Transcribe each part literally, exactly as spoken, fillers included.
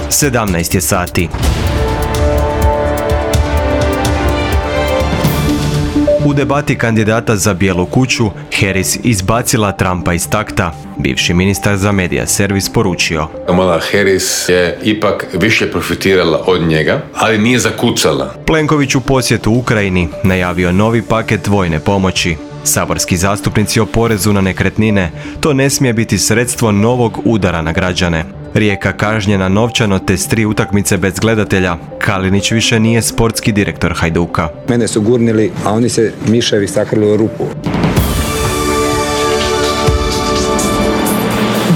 sedamnaest je sati. U debati kandidata za Bijelu kuću, Harris izbacila Trumpa iz takta. Bivši ministar za medija servis poručio: Kamala Harris je ipak više profitirala od njega, ali nije zakucala. Plenković u posjetu Ukrajini najavio novi paket vojne pomoći. Saborski zastupnici o porezu na nekretnine: to ne smije biti sredstvo novog udara na građane. Rijeka kažnjena novčano te s tri utakmice bez gledatelja. Kalinić više nije sportski direktor Hajduka. Mene su gurnili, a oni se miševi sakrili u rupu.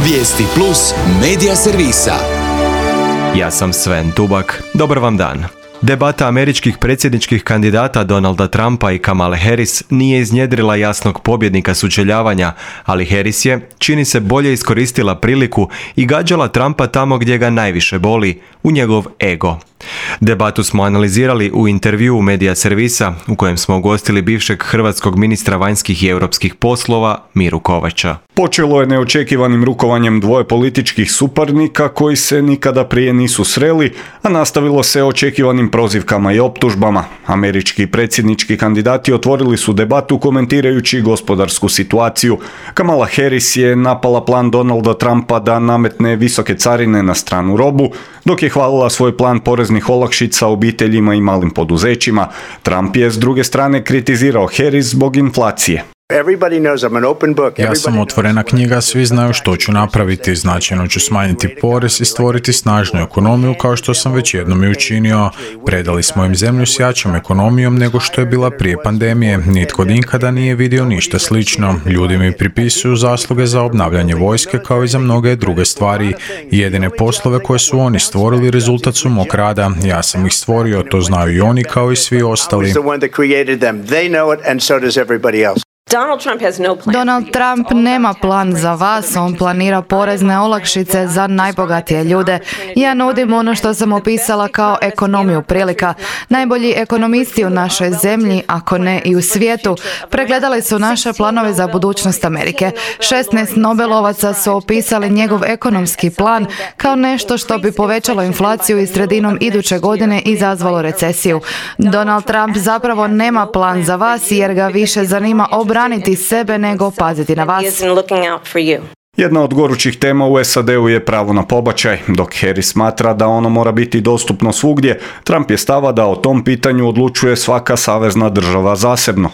Vijesti plus medija servisa. Ja sam Sven Tubak. Dobar vam dan. Debata američkih predsjedničkih kandidata Donalda Trumpa i Kamale Harris nije iznjedrila jasnog pobjednika sučeljavanja, ali Harris je, čini se, bolje iskoristila priliku i gađala Trumpa tamo gdje ga najviše boli, u njegov ego. Debatu smo analizirali u intervjuu medija servisa u kojem smo ugostili bivšeg hrvatskog ministra vanjskih i europskih poslova Miru Kovača. Počelo je neočekivanim rukovanjem dvoje političkih suparnika koji se nikada prije nisu sreli, a nastavilo se očekivanim prozivkama i optužbama. Američki predsjednički kandidati otvorili su debatu komentirajući gospodarsku situaciju. Kamala Harris je napala plan Donalda Trumpa da nametne visoke carine na stranu robu, dok je hvalila svoj plan poreznih olakšica obiteljima i malim poduzećima. Trump je s druge strane kritizirao Harris zbog inflacije. Ja sam otvorena knjiga, svi znaju što ću napraviti, značajno ću smanjiti porez i stvoriti snažnu ekonomiju kao što sam već jednom i učinio. Predali smo im zemlju s jačom ekonomijom nego što je bila prije pandemije. Nitko nikada nije vidio ništa slično. Ljudi mi pripisuju zasluge za obnavljanje vojske kao i za mnoge druge stvari. Jedine poslove koje su oni stvorili rezultat su mog rada. Ja sam ih stvorio, to znaju i oni kao i svi ostali. Donald Trump nema plan za vas, on planira porezne olakšice za najbogatije ljude. Ja nudim ono što sam opisala kao ekonomiju prilika. Najbolji ekonomisti u našoj zemlji, ako ne i u svijetu, pregledali su naše planove za budućnost Amerike. šesnaest Nobelovaca su opisali njegov ekonomski plan kao nešto što bi povećalo inflaciju i sredinom iduće godine izazvalo recesiju. Donald Trump zapravo nema plan za vas jer ga više zanima obraniti sebe nego paziti na vas. Jedna od gorućih tema u S A D-u je pravo na pobačaj. Dok Harris smatra da ono mora biti dostupno svugdje, Trump je stava da o tom pitanju odlučuje svaka savezna država zasebno.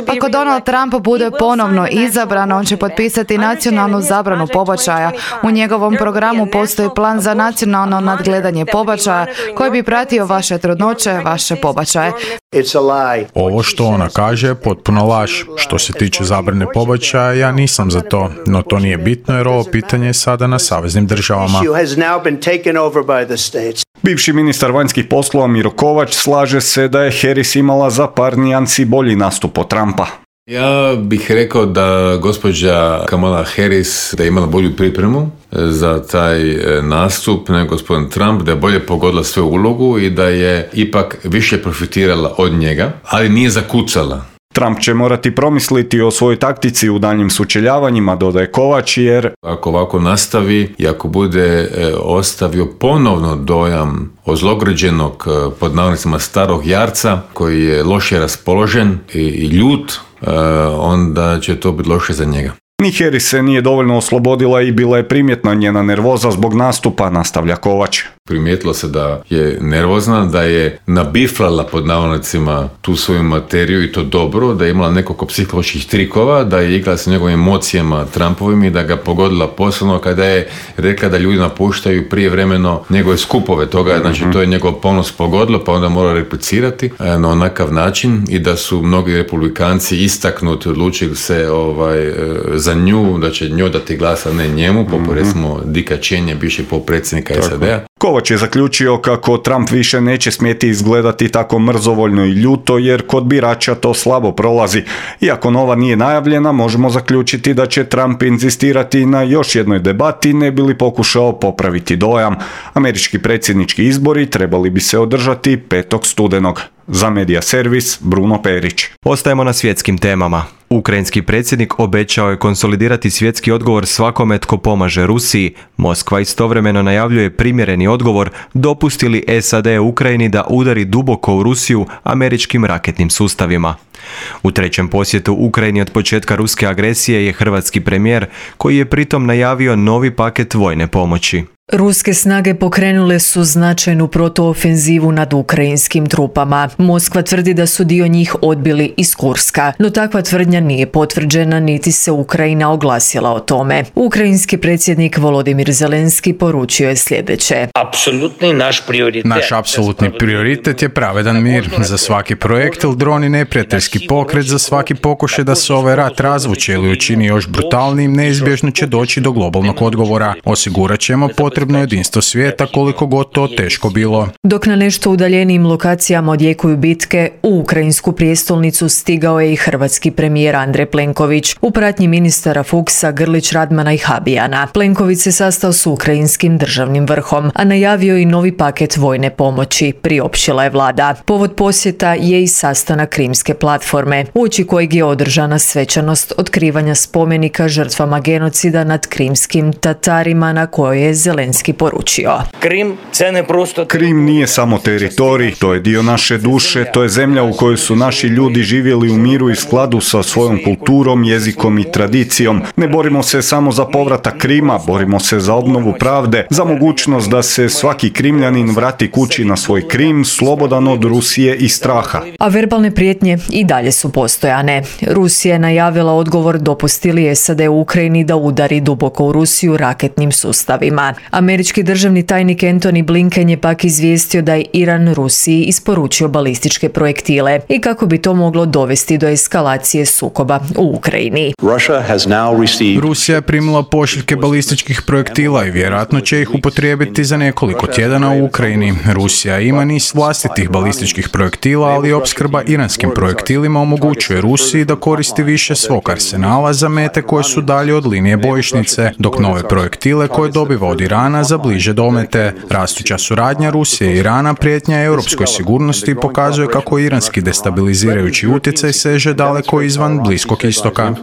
Ako Donald Trump bude ponovno izabran, on će potpisati nacionalnu zabranu pobačaja. U njegovom programu postoji plan za nacionalno nadgledanje pobačaja koji bi pratio vaše trudnoće, vaše pobačaje. Ovo što ona kaže je potpuno laž. Što se tiče zabrane pobačaja, ja nisam za to, no to nije bitno jer ovo pitanje je sada na saveznim državama. Bivši ministar vanjskih poslova Miro Kovač slaže se da je Harris imala za par nijansi bolji nastup od Trumpa. Ja bih rekao da gospođa Kamala Harris da je imala bolju pripremu za taj nastup nego gospodin Trump, da je bolje pogodila svoju ulogu i da je ipak više profitirala od njega, ali nije zakucala. Trump će morati promisliti o svojoj taktici u daljnjim sučeljavanjima, dodaje Kovač, jer ako ovako nastavi i ako bude e, ostavio ponovno dojam ozlograđenog, pod navodnicima starog jarca koji je loše raspoložen i, i ljut, e, onda će to biti loše za njega. Ni Harris se nije dovoljno oslobodila i bila je primjetna njena nervoza zbog nastupa, nastavlja Kovač. Primijetilo se da je nervozna, da je nabiflala pod navodnicima tu svoju materiju i to dobro, da je imala nekoliko psiholoških trikova, da je igrala sa njegovim emocijama Trumpovim i da ga pogodila posebno kada je rekla da ljudi napuštaju prijevremeno njegove skupove toga, mm-hmm. znači to je njegov ponos pogodilo pa onda mora replicirati na onakav način i da su mnogi republikanci istaknuti, odlučili se ovaj, za nju, da će njoj dati glas, a ne njemu, poput mm-hmm. recimo Dicka Cheney, bivšeg potpredsjednika S A D-a. Kovač je zaključio kako Trump više neće smjeti izgledati tako mrzovoljno i ljuto jer kod birača to slabo prolazi. Iako nova nije najavljena, možemo zaključiti da će Trump inzistirati na još jednoj debati ne bi li pokušao popraviti dojam. Američki predsjednički izbori trebali bi se održati petog studenog. Za Medija servis, Bruno Perić. Ostajemo na svjetskim temama. Ukrajinski predsjednik obećao je konsolidirati svjetski odgovor svakome tko pomaže Rusiji. Moskva istovremeno najavljuje primjereni odgovor dopusti li S A D Ukrajini da udari duboko u Rusiju američkim raketnim sustavima. U trećem posjetu Ukrajini od početka ruske agresije je hrvatski premijer koji je pritom najavio novi paket vojne pomoći. Ruske snage pokrenule su značajnu protuofenzivu nad ukrajinskim trupama. Moskva tvrdi da su dio njih odbili iz Kurska, no takva tvrdnja nije potvrđena niti se Ukrajina oglasila o tome. Ukrajinski predsjednik Volodimir Zelenski poručio je sljedeće. Apsolutni naš prioritet. Naš apsolutni prioritet je pravedan mir. Za svaki projekt ili dron i neprijateljski pokret, za svaki pokušaj da se ovaj rat razvuče ili učini još brutalnijim, neizbježno će doći do globalnog odgovora. Osigurat ćemo potrebno jedinstvo svijeta koliko god to teško bilo. Dok na nešto udaljenijim lokacijama odjekuju bitke, u ukrajinsku prijestolnicu stigao je i hrvatski premijer Andrej Plenković u pratnji ministara Fuchsa, Grlić Radmana i Habijana. Plenković se sastao s ukrajinskim državnim vrhom, a najavio i novi paket vojne pomoći, priopćila je vlada. Povod posjeta je i sastanak Krimske platforme, uoči kojeg je održana svečanost otkrivanja spomenika žrtvama genocida nad krimskim Tatarima, na kojoj je Zelenski poručio. Krim, Krim nije samo teritorij, to je dio naše duše, to je zemlja u kojoj su naši ljudi živjeli u miru i skladu sa svojom kulturom, jezikom i tradicijom. Ne borimo se samo za povratak Krima, borimo se za obnovu pravde, za mogućnost da se svaki Krimljanin vrati kući na svoj Krim, slobodan od Rusije i straha. A verbalne prijetnje i dalje su postojane. Rusija je najavila odgovor dopusti li S A D u Ukrajini da udari duboko u Rusiju raketnim sustavima. Američki državni tajnik Antony Blinken je pak izvijestio da je Iran Rusiji isporučio balističke projektile i kako bi to moglo dovesti do eskalacije sukoba u Ukrajini. Rusija je primila pošiljke balističkih projektila i vjerojatno će ih upotrijebiti za nekoliko tjedana u Ukrajini. Rusija ima niz vlastitih balističkih projektila, ali opskrba iranskim projektilima omogućuje Rusiji da koristi više svog arsenala za mete koje su dalje od linije bojišnice, dok nove projektile koje dobiva od Irana za bliže domete. Rastuća suradnja Rusije i Irana prijetnja europskoj sigurnosti pokazuje kako iranski destabilizirajući utjecaj seže daleko izvan Bliskog istoka.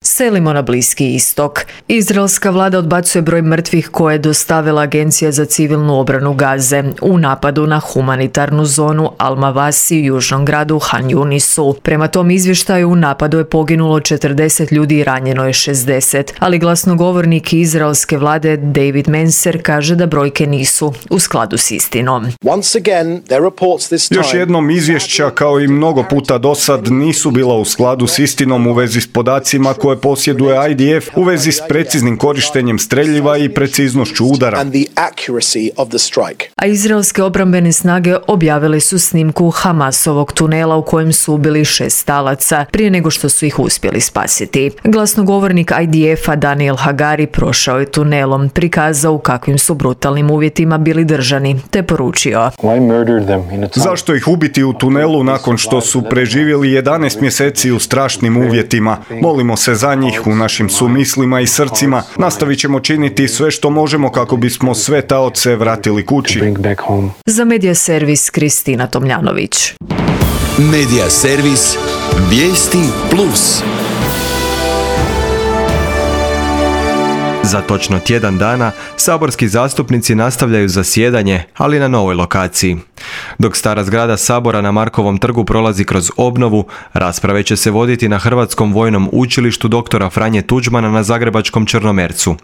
Selimo na Bliski istok. Izraelska vlada odbacuje broj mrtvih koje je dostavila Agencija za civilnu obranu Gaze u napadu na humanitarnu zonu Al-Mawasi u južnom gradu Han Yunisu. Prema tom izvještaju u napadu je poginulo četrdeset ljudi i ranjeno je šezdeset, ali glasnogovornik izraelske vlade David Menser kaže da brojke nisu u skladu s istinom. Još jednom izvješća, kao i mnogo puta dosad, nisu bila u skladu s istinom u vezi s podacima koje posjeduje I D F u vezi s preciznim korištenjem streljiva i preciznošću udara. A izraelske obrambene snage objavile su snimku Hamasovog tunela u kojem su ubili šest talaca prije nego što su ih uspjeli spasiti. Glasnogovornik I D F-a Daniel Hagari prošao je tunelom, prikazao u kakvim su brutalnim uvjetima bili držani, te poručio: Zašto ih ubiti u tunelu nakon što su preživjeli jedanaest mjeseci u strašnim uvjetima? Molimo se za njih u našim sumislima i srcima. Nastavit ćemo činiti sve što možemo kako bismo sve taoce vratili kući. Za Medija servis Kristina Tomljanović. Medija servis Vijesti Plus. Za točno tjedan dana saborski zastupnici nastavljaju zasjedanje, ali na novoj lokaciji. Dok stara zgrada Sabora na Markovom trgu prolazi kroz obnovu, rasprave će se voditi na Hrvatskom vojnom učilištu doktora Franje Tuđmana na zagrebačkom Črnomercu.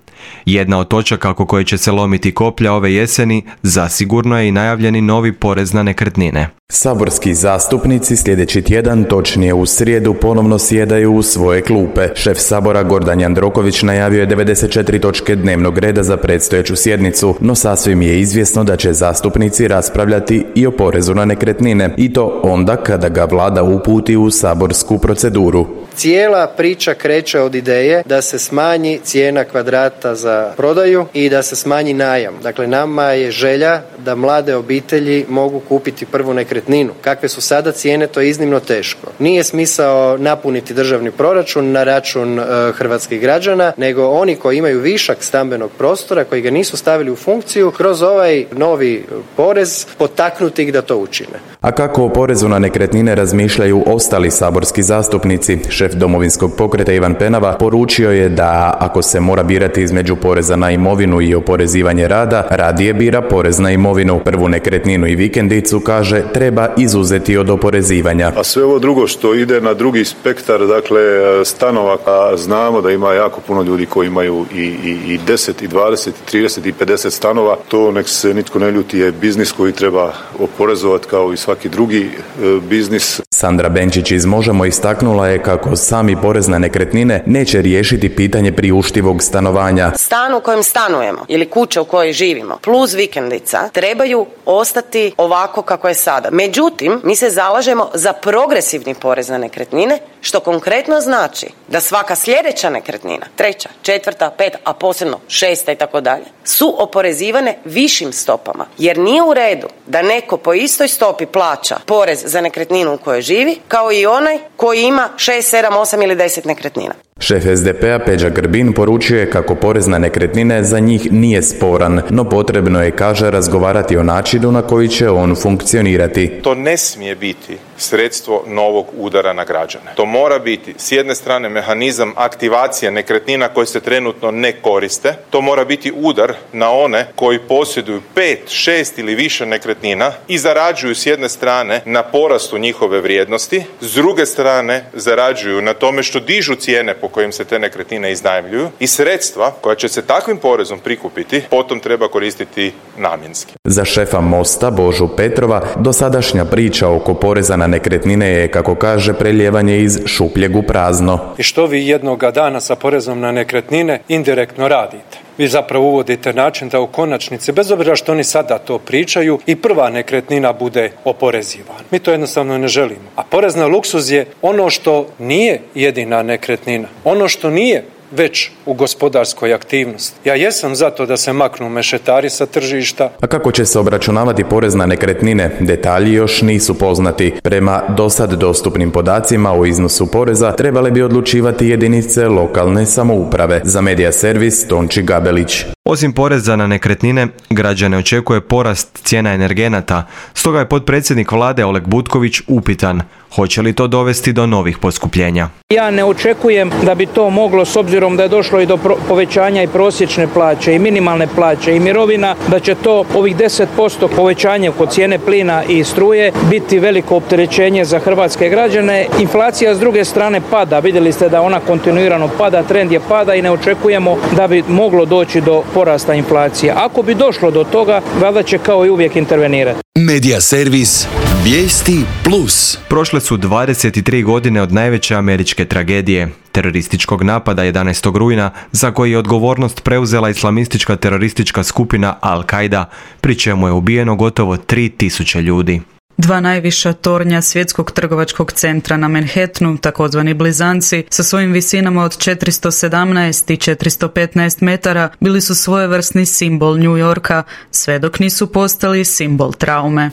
Jedna od točaka oko koje će se lomiti koplja ove jeseni zasigurno je i najavljeni novi porez na nekretnine. Saborski zastupnici sljedeći tjedan, točnije u srijedu, ponovno sjedaju u svoje klupe. Šef Sabora Gordan Jandroković najavio je devedeset četiri točke dnevnog reda za predstojeću sjednicu, no sasvim je izvjesno da će zastupnici raspravljati i o porezu na nekretnine, i to onda kada ga vlada uputi u saborsku proceduru. cijela priča kreće od ideje da se smanji cijena kvadrata za prodaju i da se smanji najam. Dakle, nama je želja da mlade obitelji mogu kupiti prvu nekretninu. Kakve su sada cijene, to je iznimno teško. Nije smisao napuniti državni proračun na račun e, hrvatskih građana, nego oni koji imaju višak stambenog prostora, koji ga nisu stavili u funkciju, kroz ovaj novi porez potaknuti ih da to učine. A kako o porezu na nekretnine razmišljaju ostali saborski zastupnici, šef Domovinskog pokreta Ivan Penava poručio je da ako se mora birati između poreza na imovinu i oporezivanje rada, radije bira porez na imovinu. Prvu nekretninu i vikendicu, kaže, treba izuzeti od oporezivanja. A sve ovo drugo što ide na drugi spektar, dakle stanova, a znamo da ima jako puno ljudi koji imaju i, i, i deset, i dvadeset, i trideset, i pedeset stanova, to nek se nitko ne ljuti, je biznis koji treba oporezovati kao i svaki drugi e, biznis. Sandra Benčić iz Možemo istaknula je kako sami porez na nekretnine neće riješiti pitanje priuštivog stanovanja. Stan u kojem stanujemo ili kuća u kojoj živimo plus vikendica trebaju ostati ovako kako je sada. Međutim, mi se zalažemo za progresivni porez na nekretnine, što konkretno znači da svaka sljedeća nekretnina, treća, četvrta, peta, a posebno šesta i tako dalje, su oporezivane višim stopama. Jer nije u redu da neko po istoj stopi plaća porez za nekretninu u kojoj živi, kao i onaj koji ima šest, sedam, osam ili deset nekretnina. Šef es de pe a Peđa Grbin poručuje kako porez na nekretnine za njih nije sporan, no potrebno je, kaže, razgovarati o načinu na koji će on funkcionirati. To ne smije biti sredstvo novog udara na građane. To mora biti s jedne strane mehanizam aktivacije nekretnina koje se trenutno ne koriste. To mora biti udar na one koji posjeduju pet, šest ili više nekretnina i zarađuju s jedne strane na porastu njihove vrijednosti, s druge strane zarađuju na tome što dižu cijene po kojim se te nekretnine iznajmljuju i sredstva koja će se takvim porezom prikupiti potom treba koristiti namjenski. Za šefa Mosta Božu Petrova dosadašnja priča oko poreza na nekretnine je, kako kaže, prelijevanje iz šupljeg u prazno. I što vi jednoga dana sa porezom na nekretnine indirektno radite? Vi zapravo uvodite način da u konačnici, bez obzira što oni sada to pričaju, i prva nekretnina bude oporezivana. Mi to jednostavno ne želimo. A porez na luksuz je ono što nije jedina nekretnina. Ono što nije već u gospodarskoj aktivnosti. Ja jesam za to da se maknu mešetari sa tržišta. A kako će se obračunavati porez na nekretnine? Detalji još nisu poznati. Prema dosad dostupnim podacima o iznosu poreza trebale bi odlučivati jedinice lokalne samouprave. Za Medija servis Tonči Gabelić. Osim poreza na nekretnine, građane očekuje porast cijena energenata, stoga je potpredsjednik vlade Oleg Butković upitan hoće li to dovesti do novih poskupljenja. Ja ne očekujem da bi to moglo, s obzirom da je došlo i do povećanja i prosječne plaće i minimalne plaće i mirovina, da će to ovih deset posto povećanje kod cijene plina i struje biti veliko opterećenje za hrvatske građane. Inflacija s druge strane pada, vidjeli ste da ona kontinuirano pada, trend je pada i ne očekujemo da bi moglo doći do porasta inflacije. Ako bi došlo do toga, vlada će kao i uvijek intervenirati. Medija servis Vijesti plus. Prošle su dvadeset tri godine od najveće američke tragedije, terorističkog napada jedanaestog rujna, za koji je odgovornost preuzela islamistička teroristička skupina Al-Qaida, pri čemu je ubijeno gotovo tri tisuće ljudi. Dva najviša tornja svjetskog trgovačkog centra na Manhattanu, takozvani blizanci, sa svojim visinama od četiristo sedamnaest i četiristo petnaest metara, bili su svojevrsni simbol New Yorka, sve dok nisu postali simbol traume.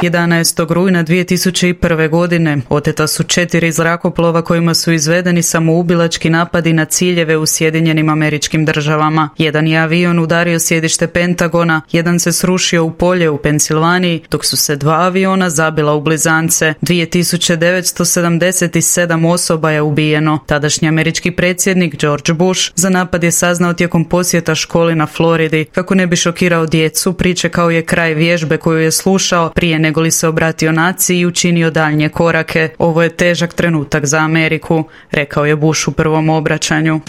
jedanaestog rujna dvije tisuće prve. godine oteta su četiri zrakoplova kojima su izvedeni samoubilački napadi na ciljeve u Sjedinjenim Američkim Državama. Jedan je avion udario sjedište Pentagona, jedan se srušio u polje u Pensilvaniji, dok su se dva aviona zabila u blizance. dvije tisuće devetsto sedamdeset sedam osoba je ubijeno. Tadašnji američki predsjednik George Bush za napad je saznao tijekom posjeta školi na Floridi. Kako ne bi šokirao djecu, pričekao je kraj vježbe koju je slušao prije nego li se obratio naciji i učinio daljnje korake. Ovo je težak trenutak za Ameriku, rekao je Bush u prvom obraćanju.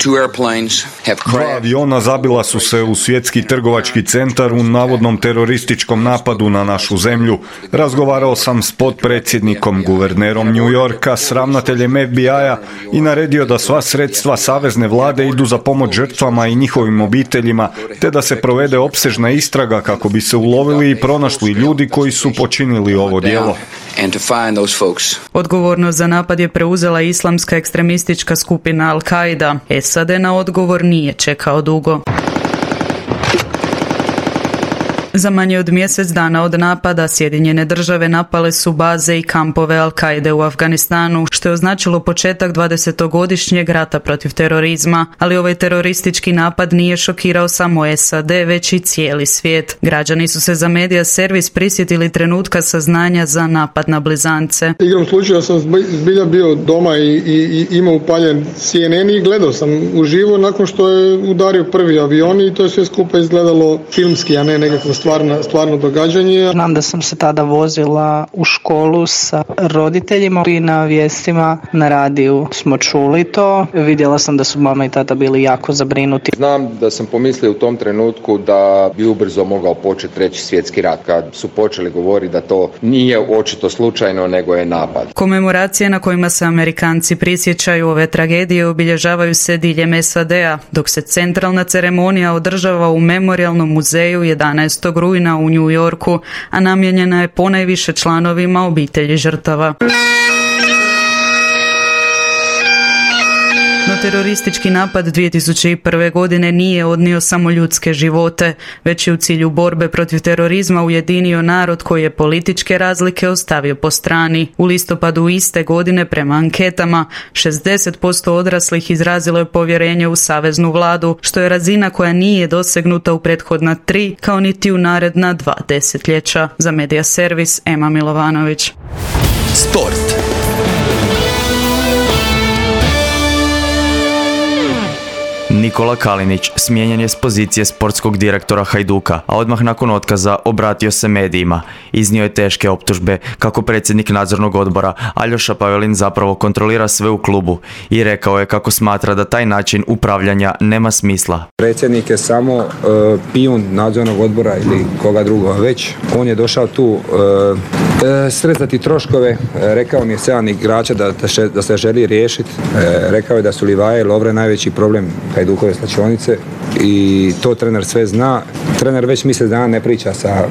Dva aviona zabila su se u svjetski trgovački centar u navodnom terorističkom napadu na našu zemlju. Razgovarao sam s potpredsjednikom, guvernerom New Yorka, s ravnateljem F B I-a i naredio da sva sredstva savezne vlade idu za pomoć žrtvama i njihovim obiteljima, te da se provede opsežna istraga kako bi se ulovili i pronašli ljudi koji su počinili počinili ovo djelo. Odgovornost za napad je preuzela islamska ekstremistička skupina Al-Qaida. S A D na odgovor nije čekao dugo. Za manje od mjesec dana od napada Sjedinjene države napale su baze i kampove Al-Qaide u Afganistanu, što je označilo početak dvadesetogodišnjeg rata protiv terorizma, ali ovaj teroristički napad nije šokirao samo S A D, već i cijeli svijet. Građani su se za Media Servis prisjetili trenutka saznanja za napad na blizance. Igrom slučaja sam zbilja bio doma i, i, i imao upaljen C N N i gledao sam uživo nakon što je udario prvi avion i to je sve skupa izgledalo filmski, a ne nekakvo stvarno, stvarno događanje. Znam da sam se tada vozila u školu sa roditeljima i na vijestima na radiju smo čuli to. Vidjela sam da su mama i tata bili jako zabrinuti. Znam da sam pomislio u tom trenutku da bi ubrzo mogao početi treći svjetski rat, kad su počeli govoriti da to nije očito slučajno, nego je napad. Komemoracije na kojima se Amerikanci prisjećaju ove tragedije obilježavaju se diljem S A D-a, dok se centralna ceremonija održava u Memorijalnom muzeju jedanaestog rujna u New Yorku, a namijenjena je ponajviše članovima obitelji žrtava. No teroristički napad dvije tisuće prve. godine nije odnio samo ljudske živote, već je u cilju borbe protiv terorizma ujedinio narod koji je političke razlike ostavio po strani. U listopadu iste godine prema anketama šezdeset posto odraslih izrazilo je povjerenje u saveznu vladu, što je razina koja nije dosegnuta u prethodna tri, kao niti u naredna dva desetljeća. Za Media Servis, Ema Milovanović. Sport. Nikola Kalinić smijenjen je s pozicije sportskog direktora Hajduka, a odmah nakon otkaza obratio se medijima. Iznio je teške optužbe kako predsjednik nadzornog odbora Aljoša Pavelin zapravo kontrolira sve u klubu i rekao je kako smatra da taj način upravljanja nema smisla. Predsjednik je samo uh, pijun nadzornog odbora ili koga drugoga već. On je došao tu uh, uh, srezati troškove, uh, rekao mi je sedam igrača da, da, še, da se želi riješiti. Uh, rekao je da su Livaje i Lovre najveći problem Hajdukove slačionice i to trener sve zna. Trener već mjesec dana ne priča sa,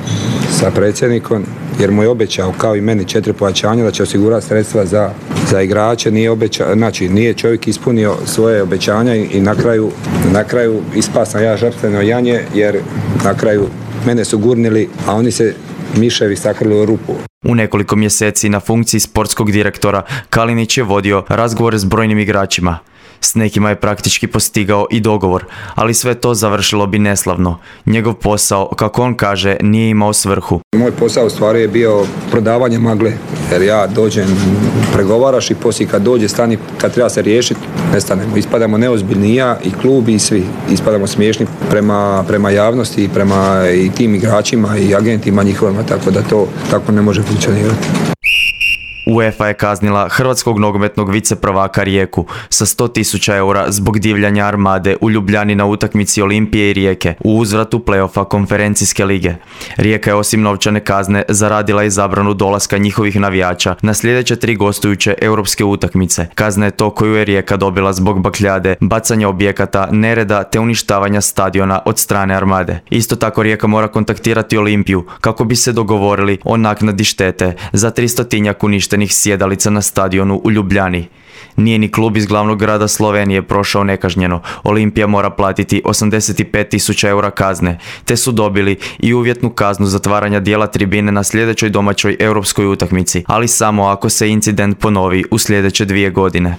sa predsjednikom jer mu je obećao, kao i meni, četiri pojačanja da će osigurati sredstva za, za igrače. Nije obeća, znači nije čovjek ispunio svoje obećanja i, i na kraju, na kraju ispao sam ja žrtveno janje jer na kraju mene su gurnili, a oni se miševi sakrili u rupu. U nekoliko mjeseci na funkciji sportskog direktora Kalinić je vodio razgovore s brojnim igračima. S nekima je praktički postigao i dogovor, ali sve to završilo bi neslavno. Njegov posao, kako on kaže, nije imao svrhu. Moj posao u stvari je bio prodavanje magle, jer ja dođem, pregovaraš i poslije kad dođe stani, kad treba se riješiti, nestanemo. Ispadamo neozbiljni, ja i klub i svi. Ispadamo smiješni prema, prema javnosti i prema i tim igračima i agentima njihovima, tako da to tako ne može funkcionirati. UEFA je kaznila hrvatskog nogometnog viceprvaka Rijeku sa sto tisuća eura zbog divljanja Armade u Ljubljani na utakmici Olimpije i Rijeke u uzvratu play-offa konferencijske lige. Rijeka je osim novčane kazne zaradila i zabranu dolaska njihovih navijača na sljedeće tri gostujuće europske utakmice. Kazna je to koju je Rijeka dobila zbog bakljade, bacanja objekata, nereda te uništavanja stadiona od strane Armade. Isto tako Rijeka mora kontaktirati Olimpiju kako bi se dogovorili o naknadi štete za tristotinjak uništenih sjedalica na stadionu u Ljubljani. Nije ni klub iz glavnog grada Slovenije prošao nekažnjeno. Olimpija mora platiti osamdeset pet tisuća eura kazne, te su dobili i uvjetnu kaznu zatvaranja dijela tribine na sljedećoj domaćoj europskoj utakmici, ali samo ako se incident ponovi u sljedeće dvije godine.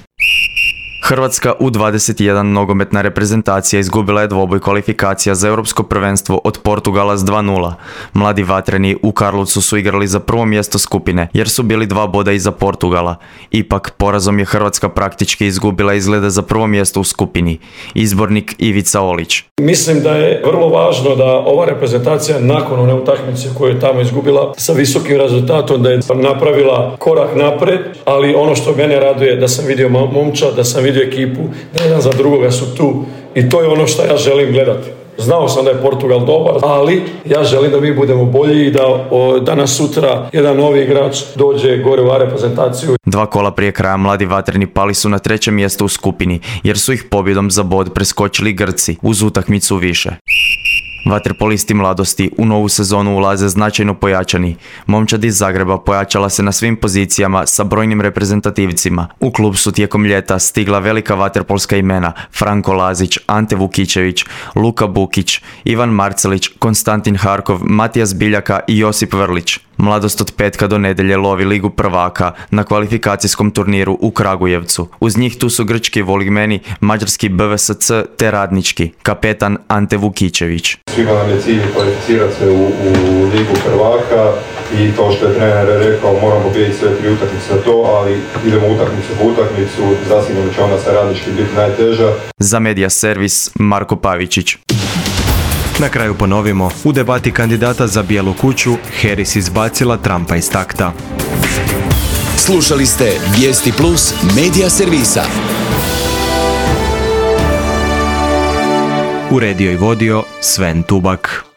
Hrvatska U dvadeset jedan nogometna reprezentacija izgubila je dvoboj kvalifikacija za europsko prvenstvo od Portugala s dva nula. Mladi vatreni u Karlovcu su igrali za prvo mjesto skupine jer su bili dva boda iza Portugala. Ipak porazom je Hrvatska praktički izgubila izglede za prvo mjesto u skupini. Izbornik Ivica Olić. Mislim da je vrlo važno da ova reprezentacija nakon one utakmice koju je tamo izgubila sa visokim rezultatom da je napravila korak napred, ali ono što mene raduje da sam vidio momčad, da sam vidio ekipu, da jedan za drugoga su tu i to je ono što ja želim gledati. Znao sam da je Portugal dobar, ali ja želim da mi budemo bolji i da o, danas sutra jedan novi igrač dođe gore u reprezentaciju. Dva kola prije kraja mladi vatreni pali su na trećem mjestu u skupini jer su ih pobjedom za bod preskočili Grci uz utakmicu više. Vaterpolisti mladosti u novu sezonu ulaze značajno pojačani. Momčad iz Zagreba pojačala se na svim pozicijama sa brojnim reprezentativcima. U klub su tijekom ljeta stigla velika vaterpolska imena Franko Lazić, Ante Vukičević, Luka Bukić, Ivan Marcelić, Konstantin Harkov, Matijas Biljaka i Josip Vrlić. Mladost od petka do nedjelje lovi Ligu prvaka na kvalifikacijskom turniru u Kragujevcu. Uz njih tu su grčki Voligmeni, mađarski B V S C te radnički, kapetan Ante Vukičević. Svima nam je cilj kvalificirati se u, u Ligu prvaka i to što je trener rekao, moramo pobijediti sve tri utakmice za to, ali idemo utakmicu po utakmicu, zasigurno će ona sa radnički biti najteža. Za Medija servis Marko Pavičić. Na kraju ponovimo, u debati kandidata za Bijelu kuću Harris izbacila Trumpa iz takta. Slušali ste Vijesti Plus Medija servisa. Uredio i vodio Sven Tubak.